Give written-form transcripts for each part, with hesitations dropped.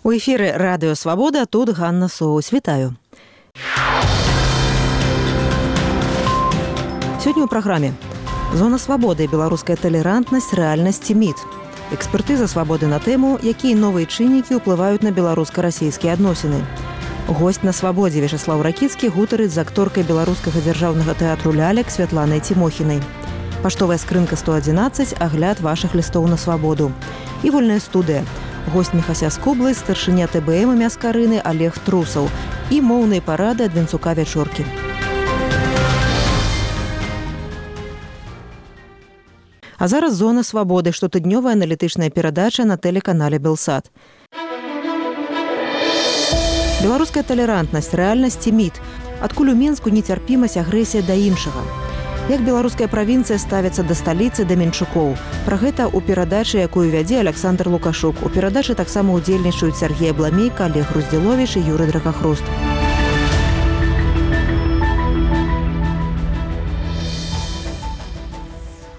У эфіры Радыё Свабода, тут Ганна Соус. Вітаю. Сёння ў праграме «Зона свабоды. Беларуская талерантнасць, рэальнасць і міт». Экспертыза свабоды на тэму, якія новыя чыннікі ўплываюць на беларуска-расійскія адносіны. Госць на свабодзе Вячаслаў Ракіцкі гутарыць з акторкай беларускага дзяржаўнага тэатру «Лялек» Святланай Цімохінай. Паштовая скрынка 111, агляд вашых лістоў на свабоду. І вольная студыя. Госць Міхася Скублы, старшыня ТБМ Мяскарыны Олег Трусаў і моўныя парады ад Венцука Вячоркі. А зараз «Зона свабоды», штотыднёвая аналітычная перадача на тэлеканале «Белсат». Беларуская талерантнасць, рэальнасць і міт. Адкуль у Менску нецярпімасць, агрэсія да іншага. Як беларуская правінцыя ставіцца да сталіцы, да менчукоў. Пра гэта ў перадачы, якую вядзе Александр Лукашук. У перадачы таксама ўдзельнічаюць Сергей Абламейка, Олег Руздзіловіч і Юрый Дракахруст.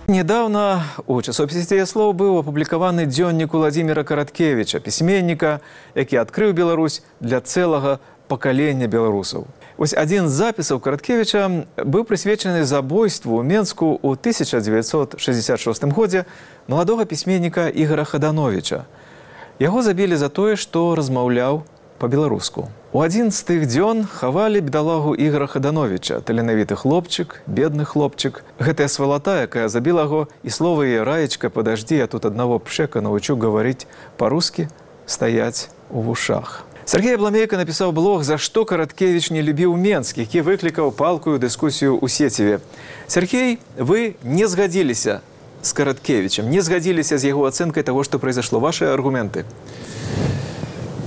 Недавно у часопісе «Слоў» быў апублікаваны дзённік Уладзіміра Караткевіча, пісьменніка, які адкрыў Беларусь для цэлага пакалення беларусаў. Вось адзін з запісаў Караткевіча быў прысвечаны забойству ў Менску ў 1966 годзе маладога пісьменніка Ігора Хадановіча. Яго забілі за тое, што размаўляў па-беларуску. У адзін з тых дзён хавалі бедалагу Ігора Хадановіча, таленавіты хлопчык, бедны хлопчык. Гэтая свалата, якая забіла яго, і слова яе «Раечка, подожди, я тут аднаго пшека научу гаварыць па-рускі», стаяць у вушах. Сергей Абламейка напісаў блог «За што Караткевіч не любіў Менск», які выклікаў палкую дыскусію ў сеціве. Сергей, вы не згадзіліся з Караткевічам, не згадзіліся з яго ацэнкай таго, што произошло. Вашы аргументы?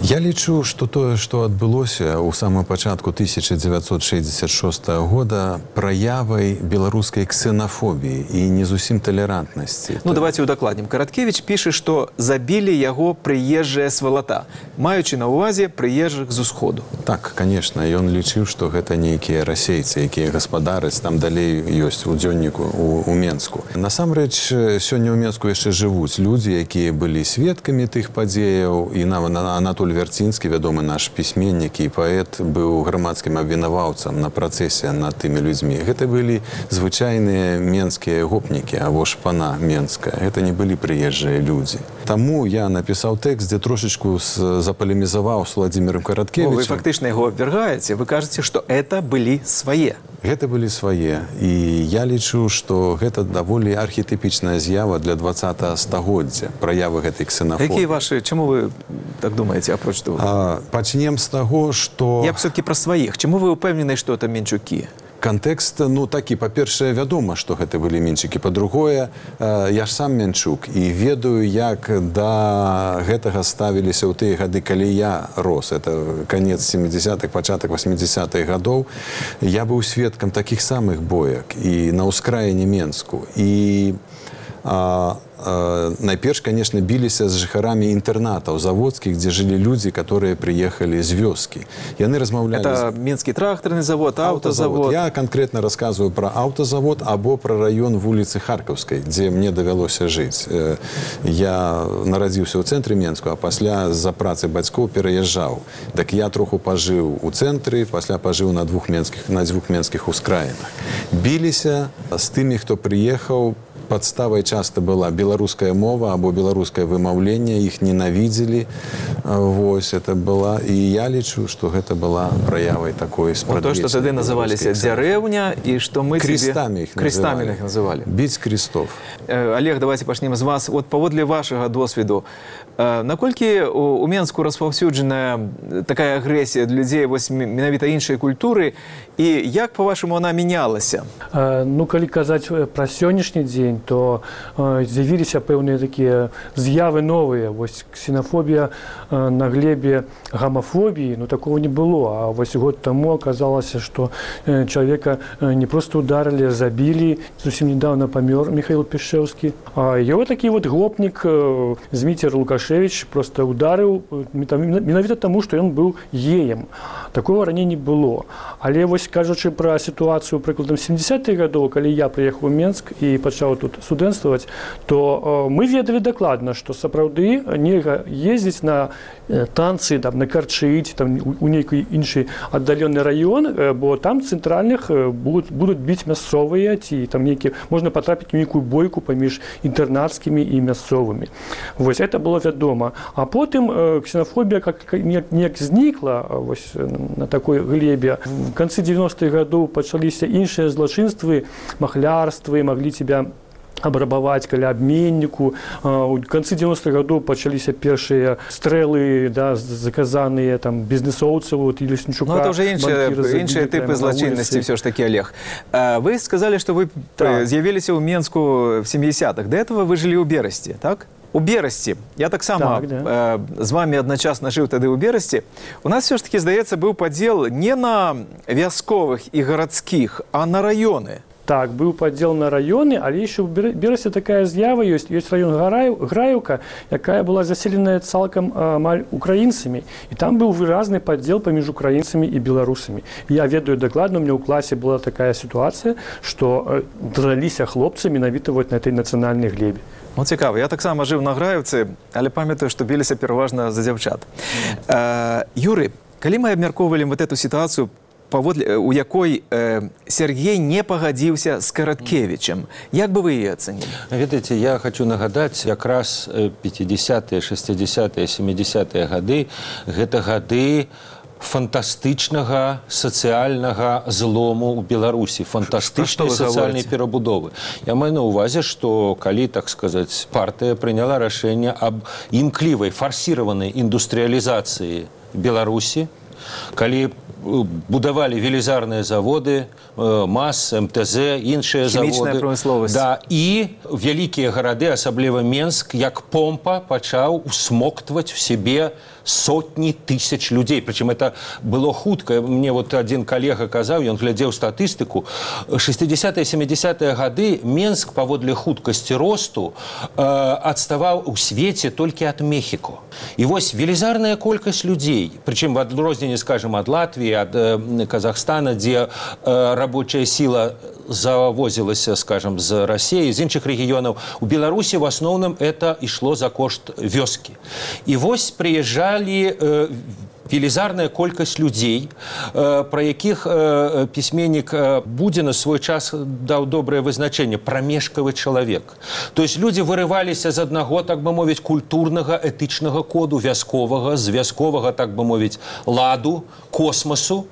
Я лічу, што тое, што адбылося ў самым пачатку 1966 года, праявай беларускай ксенафобіі і не зусім талерантнасці. Ну, давайте удакладнім. Караткевіч піша, што забілі яго прыезджая свалата, маючы на ўвазе прыезджых з усходу. Так, конечно, ён лічыў, што гэта нейкія расейцы, якія гаспадараць, там далей ёсць у дзённіку у Менску. Насамрэч, сёння ў Менску яшчэ жывуць людзі, якія былі сведкамі тых падзеяў, і Анатоль Вярцінскі, вядомы наш пісьменнік і паэт, быў грамадскім абвінаваўцам на працэсе над тымі людзьмі. Гэта былі звычайныя менскія гопнікі, або шпана менская. Гэта не былі прыезджыя людзі. Таму я напісаў тэкст, дзе трошечку запалемізаваў з Уладзімірам Караткевічам. Вы фактычна яго абвяргаеце, вы кажаце, што это былі свае. Гэта былі свае. І я лічу, што гэта даволі архетипічная з'ява для 20-го стагоддзя, праявы гэтай ксенафобіі. Якія вашы, чаму вы так думаеце, апроч того? Пачнем з таго, што... Я все-таки пра сваіх. Чаму вы ўпэўнены, што это менчукі? Кантэкст, ну, такі, па-першае, вядома, што гэта былі менчукі. Па-другое, я ж сам менчук і ведаю, як да гэтага ставіліся ў тыя гады, калі я рос. Это канец 70-х, пачатак 80-х гадоў. Я быў сведкам такіх самых боек і на ўскраіне Менску. І найперш, конечно, біліся з жыхарамі інтэрнатаў заводскіх, дзе жылі людзі, которые прыехалі з вёскі. Яны размаўлялі... Это Менскі трактарны завод, аўтазавод. Я конкретно рассказываю про аўтазавод або про район вуліцы Харкаўскай, дзе мне давялося жыць. Я нарадзіўся ў цэнтры Менску, а пасля з-за працы бацькоў пераязджаў. Так я троху пажыў у цэнтры, пасля пажыў на дзвюх менскіх ускраінах. Біліся з тымі, хто прыехаў. Падставай часта была беларуская мова або беларускае вымаўленне, іх ненавідзелі. Вось, это была... І я лічу, што гэта была праявай такой спрадвечнай. То, што тады называліся дзярэўня, і што мы крестамі іх называлі. Біць крестов. Олег, давайте пачнем з вас. Вот паводле вашага досвіду, наколькі у Менску распаўсюджаная такая агрэсія для людзей вось менавіта іншай культуры, і як, па-вашаму, она мянялася? Ну, калі казаць пра сённяшні дзень, то з'явіліся пэўныя такія з'явы новыя. Вось ксенафобія на глебе гомафобіі, ну такого не было. А вось год таму аказалася, што чалавека не проста ударылі, забілі. Зусім недавно памёр Михаил Пішэўскі. А яго такі вот гопнік Зміцер Лукашевич просто ударыў менавіта таму, што ён быў геем. Такого раней не было. Але вось кажучы пра сітуацыю прыкладам 70-х гадоў, калі я прыехаў у Менск і пачаў тут студэнцтваваць, то мы ведалі дакладна, што сапраўды нельга ездзіць на танцы там, на Карчыць, там, у нейкі іншы аддалены раён, бо там цэнтральных будуць біць мясцовыя, ці там можна патрапіць у нейкую бойку паміж інтэрнацкімі і мясцовымі. Вось, это было вядома. А потым ксенафобія неяк знікла вось, на такой глебе. В канцы 90-х гадоў пачаліся іншыя злачынствы, махлярствы, маглі тебя абрабаваць каля абменніку. У канцы 90-х гадоў пачаліся першыя стрэлы, да, заказаныя там бізнесоўцаў, вот, і Леснічука. Ну, это уже іншыя типы злачыннасці, все ж таки, Олег. Вы сказали, что вы з'явіліся ў Менску в 70-х. До этого вы жили ў Берасці, так? У Берасці. Я так само з вами одночасно жив тады ў Берасці. У нас все ж таки, здаецца, быў падзел не на вясковых і гарадскіх, а на раёны. Так, быў падзел на раёны, але яшчэ ў Берасці такая з'ява ёсць. Ёсць раён Граеўка, якая была заселеная цалкам амаль украінцамі. І там быў выразны падзел паміж украінцамі і беларусамі. Я ведаю дакладна, у меня ў класе была такая сітуацыя, што драліся хлопцы менавіта вот на этой нацыянальнай глебе. Ну, цікава. Я таксама жыў на Граеўцы, але памятаю, што біліся пераважна за дзяўчат. Юры, калі мы абмяркоўвалі вот эту сітуацыю, у якой Сергей не пагадзіўся з Караткевічем. Як бы вы яе ацэнілі? Ведаеце, я хочу нагадаць, якраз 50-е, 60-е, 70-е гады, гэта гады фантастычнага сацыяльнага злому ў Беларусі, фантастычнай сацыяльнай перабудовы. Я маю на ўвазе, што калі, так сказаць, партыя прыняла рашэнне аб імклівай, фарсіраванай індустрыялізацыі Беларусі, калі будавалі велізарныя заводы, МАЗ, МТЗ, іншыя заводы. Хімічная прамысловасць. Да, і вялікія гарады, асабліва Менск, як помпа пачаў усмоктваць в себе сотні тысяч людзей. Прычым это было хутка. Мне вот один калега казаў, ён глядзеў статыстыку. 60-е, 70-е гады Менск паводле хуткасці росту адставаў у свеце толькі ад Мехіко. І вось велізарная колькасць людзей, прычым в адрозненні, скажем, ад Латвіі, ад Казахстана, дзе рабочая сила завозілася, скажем, з России, з іншых рэгіёнаў. У Беларусі в асноўным это ішло за кошт вёскі. І вось прыязджалі велізарная колькасць людзей, пра якіх пісьменнік Будзіна свой час даў добрае вызначэнне, прамежкавы чалавек. То есть людзі вырываліся з аднаго, так бы мовіць, культурнага, этычнага коду вясковага, з вясковага, так бы мовіць, ладу, космасу,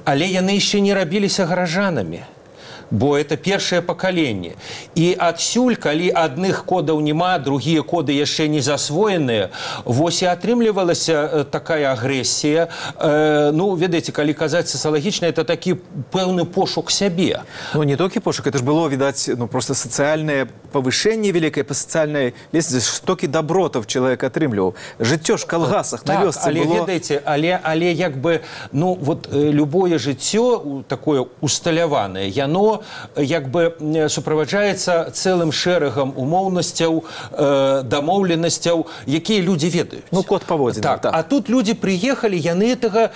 але яны яшчэ не рабіліся гаражанамі. Бо это першае пакаленне. І адсюль, калі адных кодаў няма, другія коды яшчэ не засвоеныя, вось і атрымлівалася такая агрэсія. Ну, ведаеце, калі казаць сацыялагічна, это такі пэўны пошук сябе. Ну, не толькі пошук, это ж было, відаць, ну, просто сацыяльнае павышэнне вялікае па сацыяльнай лесвіцы, стокі добротаў чалавек атрымліваў. Жыццё ж калгасах на вёсцы але, было... ведаеце, але як бы, ну, вот любое жыццё такое усталяванае, яно як бы суправаджаецца цэлым шэрагам умоўнасцяў, дамоўленасцяў, якія людзі ведаюць. Ну, код паводзін. Так. А тут людзі прыехалі, яны гэтага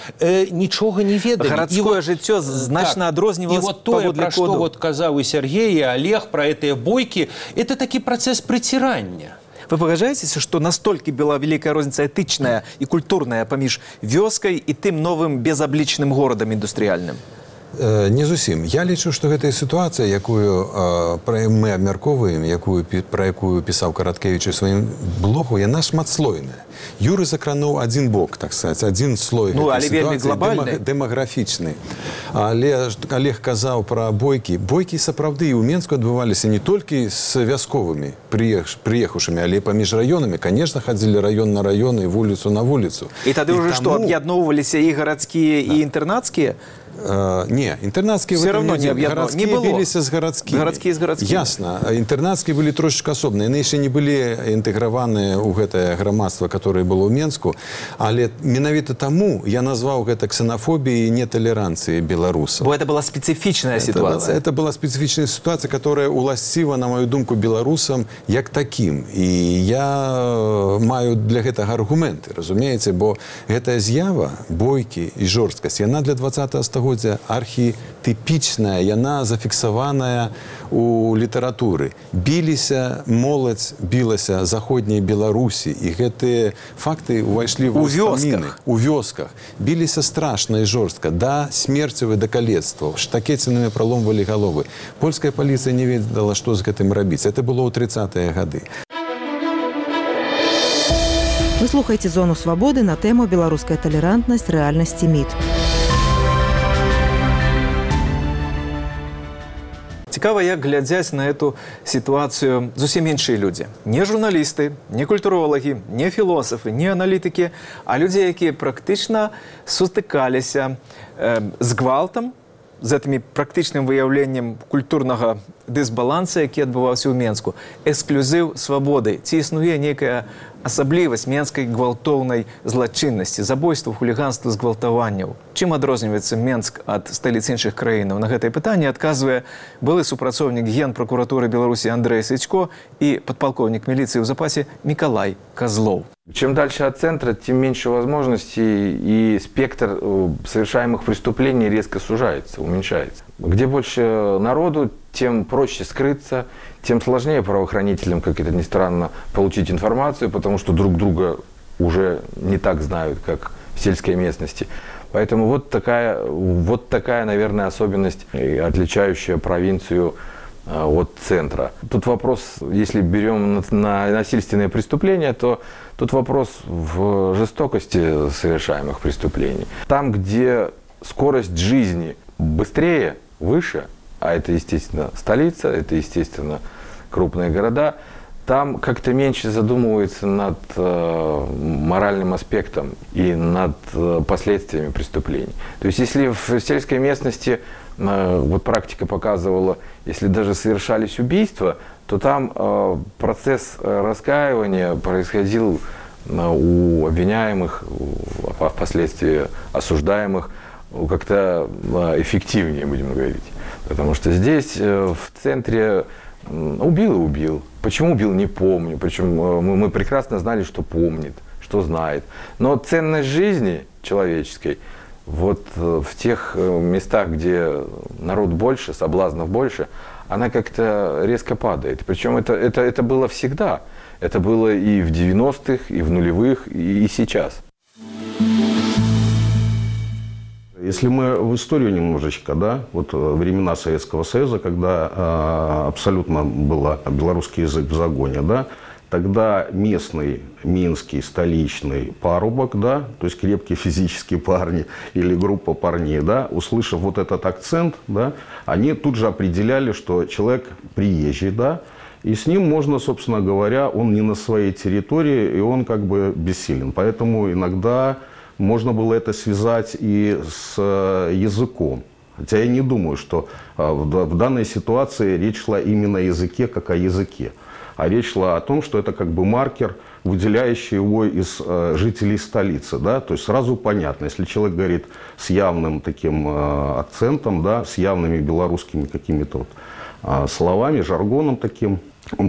нічога не ведалі. Гарадское жыццё значна адрознівалася паводле коду. І вот тое, пра што вот казаў і Сергей, і Олег, пра гэтыя бойкі, это такі працэс прыцірання. Вы пагаджаецеся, што настолькі была вялікая розніца этычная і культурная паміж вёскай і тым новым безаблічным горадам індустрыяльным? Не зусім. Я лічу, што гэтая сітуацыя, якую мы абмярковаем, пра якую пісаў Караткевіч у сваім блогу, яна шматслойная. Юры закрануў адзін бок, так сказаць, адзін слой гэтай сітуацыі, дэмаграфічны. Але Олег казаў пра бойкі. Бойкі сапраўды і ў Менску адбываліся не толькі з вясковымі прыехаўшымі, але паміж раёнамі. Конечно, хадзілі раён на раён і вуліцу на вуліцу. І тады ўжо што, аб'ядноўваліся і гарадскія, і інтэрнацкія? Не, интернатские все равно не объединено. Городские бились с городскими. Городские с городскими. Ясно. Интернатские были трошечка особные. Они еще не были интегрованы в это громадство, которое было в Менску. Але менавіта тому я назвал это ксенофобией и нетолеранцией белорусов. Бо это была специфичная ситуация. Это была специфичная ситуация, которая уласціва, на мою думку, белорусам як таким. И я маю для гэтага аргументы, разумеете, бо гэтая з'ява, бойкі и жорсткасць, яна для 20-го стагоддзя архетыпічная, яна зафіксаваная у літаратуры. Біліся моладзь, білася заходняй Беларусі, і гэтыя факты ўвайшлі У ўспаміны. вёсках. У вёсках. Біліся страшна і жорстка, да смерцевых, да калецтваў, штакецінамі праломвалі галовы. Польская паліцыя не ведала, што з гэтым рабіць. Это было ў 30-е гады. Вы слухаеце «Зону свабоды» на тэму «Беларуская талерантнасць, рэальнасці, міт». Цікава, як глядзяць на эту сітуацыю зусім іншыя людзі. Не журналісты, не культуролагі, не філосафы, не аналітыкі, а людзі, якія практычна сутыкаліся з гвалтам, з гэтымі практычным выяўленнем культурнага дысбаланса, які адбываўся ў Менску. Эксклюзіў свабоды. Ці існуе нейкая асаблівасць менскай гвалтоўнай злачыннасці, забойстваў, хуліганства, згвалтаванняў? Чым адрозніваецца Менск ад сталіц іншых краінаў? На гэтае пытанне адказвае былы супрацоўнік Генпракуратуры Беларусі Андрэй Сычко і падпалкоўнік міліцыі ў запасе Мікалай Козлов. Чем дальше от центра, тем меньше возможностей, и спектр совершаемых преступлений резко сужается, уменьшается. Где больше народу, тем проще скрыться, тем сложнее правоохранителям, как это ни странно, получить информацию, потому что друг друга уже не так знают, как в сельской местности. Поэтому вот такая, наверное, особенность, отличающая провинцию от центра. Тут вопрос, если берем на насильственные преступления, то тут вопрос в жестокости совершаемых преступлений. Там, где скорость жизни быстрее, выше, а это, естественно, столица, это, естественно, крупные города, там как-то меньше задумываются над моральным аспектом и над последствиями преступлений. То есть если в сельской местности, вот практика показывала, если даже совершались убийства, то там процесс раскаивания происходил у обвиняемых, а впоследствии осуждаемых, как-то эффективнее, будем говорить. Потому что здесь, в центре, убил и убил. Почему убил, не помню. Причем мы прекрасно знали, что помнит, что знает. Но ценность жизни человеческой вот в тех местах, где народ больше, соблазнов больше, она как-то резко падает. Причем это было всегда. Это было и в 90-х, и в нулевых, и сейчас. Если мы в историю немножечко, да, вот времена Советского Союза, когда абсолютно был белорусский язык в загоне, да, тогда местный, минский, столичный парубок, да, то есть крепкие физические парни или группа парней, да, услышав вот этот акцент, да, они тут же определяли, что человек приезжий, да, и с ним можно, собственно говоря, он не на своей территории, и он как бы бессилен. Поэтому иногда можно было это связать и с языком. Хотя я не думаю, что в данной ситуации речь шла именно о языке, как о языке. А речь шла о том, что это как бы маркер, выделяющий его из жителей столицы. Да? То есть сразу понятно, если человек говорит с явным таким акцентом, да, с явными белорусскими какими-то вот словами, жаргоном таким,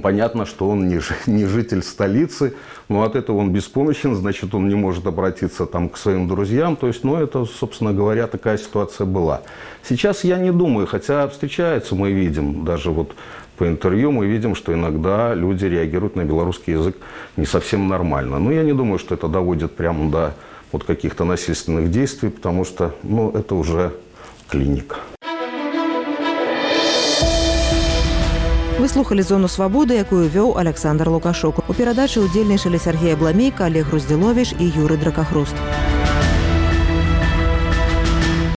понятно, что он не житель столицы, но от этого он беспомощен, значит, он не может обратиться там к своим друзьям. То есть, ну, это, собственно говоря, такая ситуация была. Сейчас я не думаю, хотя встречаются, мы видим, даже вот по интервью мы видим, что иногда люди реагируют на белорусский язык не совсем нормально. Но я не думаю, что это доводит прямо до вот каких-то насильственных действий, потому что, ну, это уже клиника. Вы слухали «Зону свабоды», якую вёў Александр Лукашук. У перадачы ўдзельнічалі Сергей Абламейка, Олег Груздзіловіч і Юрый Дракахруст.